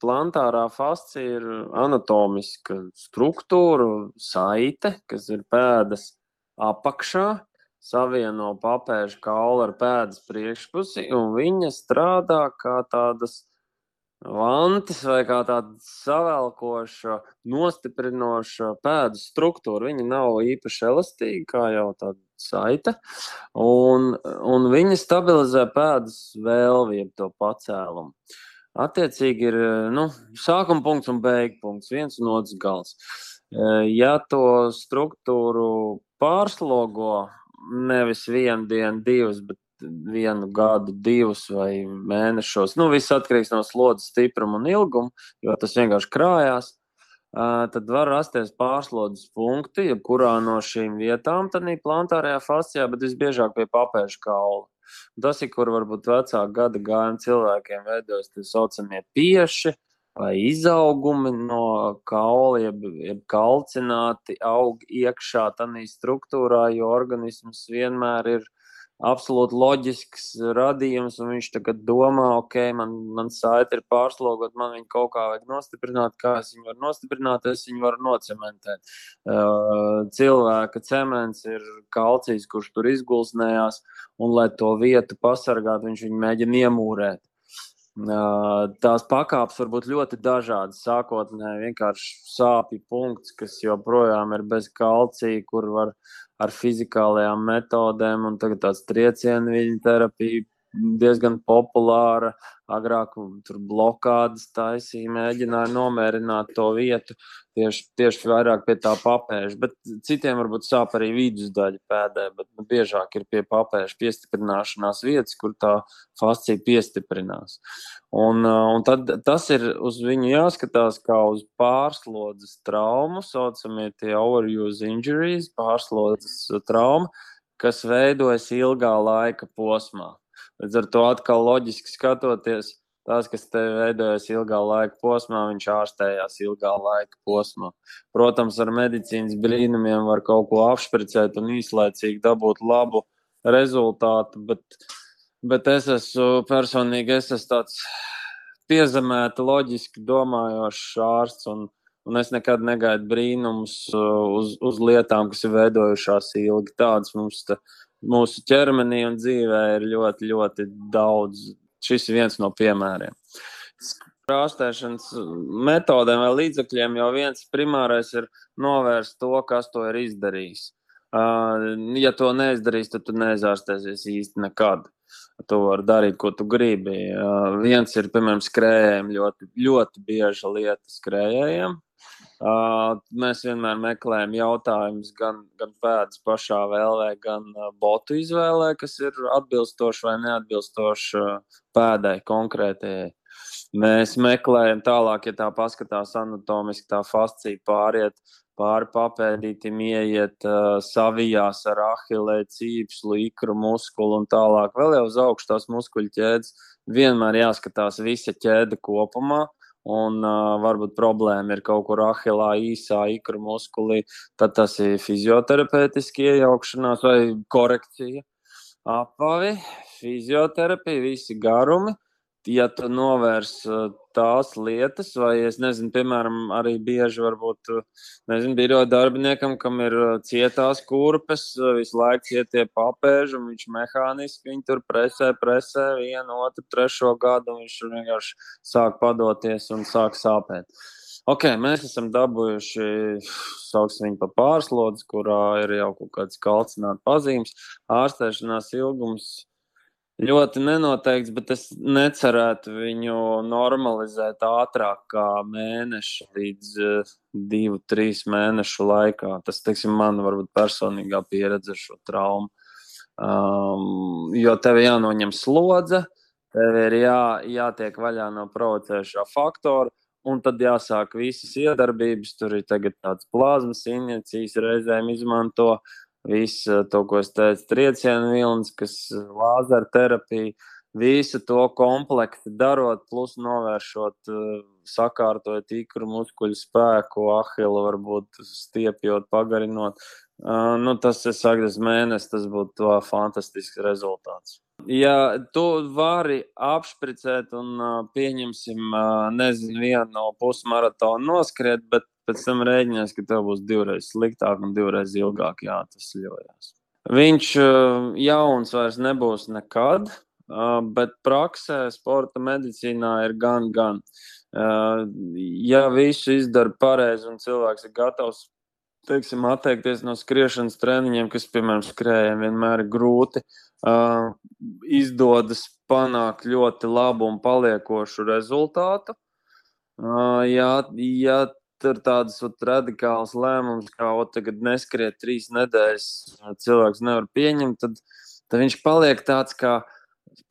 plantārā fascija ir anatomiska struktūra, saite, kas ir pēdas apakšā, savieno papēžu kaulu ar pēdas priekšpusi, un viņa strādā kā tādas vantis vai kā tāda savelkoša, nostiprinoša pēdas struktūra. Viņa nav īpaši elastīga, kā jau tāda saite, un viņa stabilizē pēdas vēlvi, jeb to pacēlumu. Attiecīgi ir sākuma punkts un beigu punkts, viens un otrs gals. Ja to struktūru pārslogo nevis vienu dienu, divas, bet vienu gadu, divus vai mēnešos, viss atkarīgs no slodzes stipruma un ilguma, jo tas vienkārši krājās, tad var rasties pārslodzes punkti, jebkurā no šīm vietām tādā plantārajā fascijā, bet visbiežāk pie papēžu kaula. Tas ir, kur varbūt vecāku gada gājumu cilvēkiem veidojas tie saucamie pieši vai izaugumi no kaula, jeb kalcināti aug iekšā tādā struktūrā, jo organisms vienmēr ir absolūti loģisks radījums, un viņš tagad domā, man saite ir pārslogot, man viņu kaut kā vajag nostiprināt, kā es viņu varu nostiprināt, es viņu varu nocementēt. Cilvēka cements ir kalcijs, kurš tur izgulsnējās, un lai to vietu pasargāt, viņš viņu mēģina iemūrēt. Tās pakāpes var būt ļoti dažādas. Sākotnēji vienkārši sāpju punkts, kas joprojām ir bez kalcija, kur var ar fizikālajām metodēm, un tagad tāds triecienu viļņu terapija diezgan populāra. Agrāk tur blokādes taisīja, mēģināja nomierināt to vietu tieši vairāk pie tā papēža, bet citiem varbūt sāp arī vidusdaļa pēdē, bet biežāk ir pie papēža piestiprināšanās vietas, kur tā fascija piestiprinās. Un tad tas ir uz viņu jāskatās kā uz pārslodzes traumu, saucamie tie overuse injuries, pārslodzes trauma, kas veidojas ilgā laika posmā. Līdz ar to atkal loģiski skatoties, tās, kas te veidojas ilgā laika posmā, viņš ārstējās ilgā laika posmā. Protams, ar medicīnas brīnumiem var kaut ko apšpricēt un īslaicīgi dabūt labu rezultātu, bet es esmu tāds piezemēta, loģiski domājošs ārsts, un es nekad negaidu brīnumus uz lietām, kas ir veidojušās ilgi. Tāds mums mūsu ķermenī un dzīvē ir ļoti, ļoti daudz. Šis ir viens no piemēriem. Ārstēšanas metodēm vai līdzekļiem jau viens primārais ir novērst to, kas to ir izdarījis. Ja to neizdarīs, tad tu neizārstēsies īsti nekad. Tu vari darīt, ko tu gribi. Viens ir, piemēram, skrējējiem, ļoti, ļoti bieža lieta skrējējiem. Mēs vienmēr meklējam jautājumus gan pēdas pašā vēlē, gan botu izvēlē, kas ir atbilstoši vai neatbilstoši pēdai konkrētajai. Mēs meklējam tālāk, ja tā paskatās anatomiski, tā fascija pāri papēdītim, ieiet savijās ar ahilē, cīpslu, ikru muskulu un tālāk. Vēl jau uz augšu tās muskuļu ķēdes vienmēr jāskatās visa ķēde kopumā. Un varbūt problēma ir kaut kur ahilā, īsā ikru muskulī, tad tas ir fizioterapeitiski iejaukšanās vai korekcija. Apavi, fizioterapija, visi garumi. Ja tu novērs tās lietas, vai es nezinu, piemēram, arī bieži varbūt, biroja darbiniekam, kam ir cietās kurpes, visu laiku cietie papēži, un viņš mehāniski viņu tur presē vienu, otru, trešo gadu, un viņš vienkārši sāk padoties un sāk sāpēt. Mēs esam dabūjuši, sauksim viņu pa pārslodzi, kurā ir jau kaut kāds kalcināta pazīmes, ārstēšanās ilgums ļoti nenoteikts, bet es necerētu viņu normalizēt ātrāk kā mēneša līdz 2-3 mēnešu laikā. Tas, man varbūt personīgā pieredze ar šo traumu. Jo tev jānoņem slodze, tev ir jātiek vaļā no provocējušā faktora, un tad jāsāk visas iedarbības. Tur ir tagad tāds plazmas injekcijas reizēm izmanto. Visu to, ko es teicu, triecienu vilnis, kas lāzera terapija, visu to komplekti darot, plus novēršot, sakārtojot ikru muskuļu spēku, ahilu varbūt stiepjot, pagarinot. Tas, es saku, mēnesis, tas būtu fantastisks rezultāts. Ja tu vari apšpricēt un pieņemsim, nezinu, vienu no pusmaratonu noskriet, bet pēc tam rēģinies, ka tev būs 2 reizes sliktāk un 2 reizes ilgāk jāatvesaļojas. Viņš jauns vairs nebūs nekad, bet praksē, sporta medicīnā ir gan. Ja visu izdara pareizi un cilvēks ir gatavs, teiksim, atteikties no skriešanas treniņiem, kas, piemēram, skrējiem vienmēr ir grūti, izdodas panākt ļoti labu un paliekošu rezultātu. Ja tur tādas radikālas lēmumus, kā tagad neskriet 3 nedēļas, cilvēks nevar pieņemt, tad viņš paliek tāds kā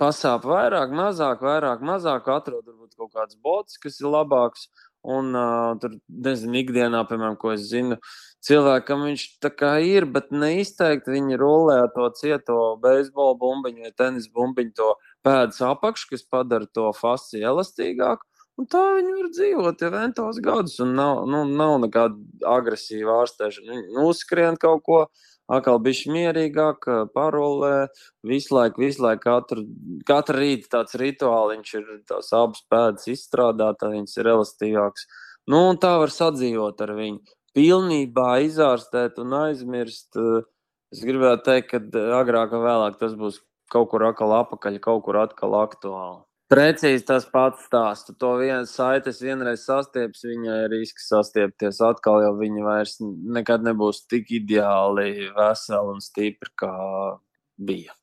pasāp vairāk, mazāk, atrod varbūt kaut kāds bots, kas ir labāks. Un tur, nezinu, ikdienā, piemēram, ko es zinu, cilvēkam viņš tā kā ir, bet neizteikti viņi rullē to cieto beisbola bumbiņu vai tenis bumbiņu, to pēdas apakšu, kas padara to fasciju elastīgāku. Un tā viņi var dzīvot jau ventos gadus, un nav nekāda agresīva ārstēšana. Viņi uzskrien kaut ko, atkal bišķi mierīgāk, parolē, visu laiku, katru rītu tāds rituāliņš ir tās abas pēdas izstrādāt, viņas ir elastīgākas. Un tā var sadzīvot ar viņu. Pilnībā izārstēt un aizmirst. Es gribētu teikt, ka agrāk vai vēlāk tas būs kaut kur atkal apakaļ, kaut kur atkal aktuāli. Precīzi tas pats stāsts. To saites vienreiz sastieps, viņai ir risks sastiepties atkal, jo viņa vairs nekad nebūs tik ideāli vesela un stipra, kā bija.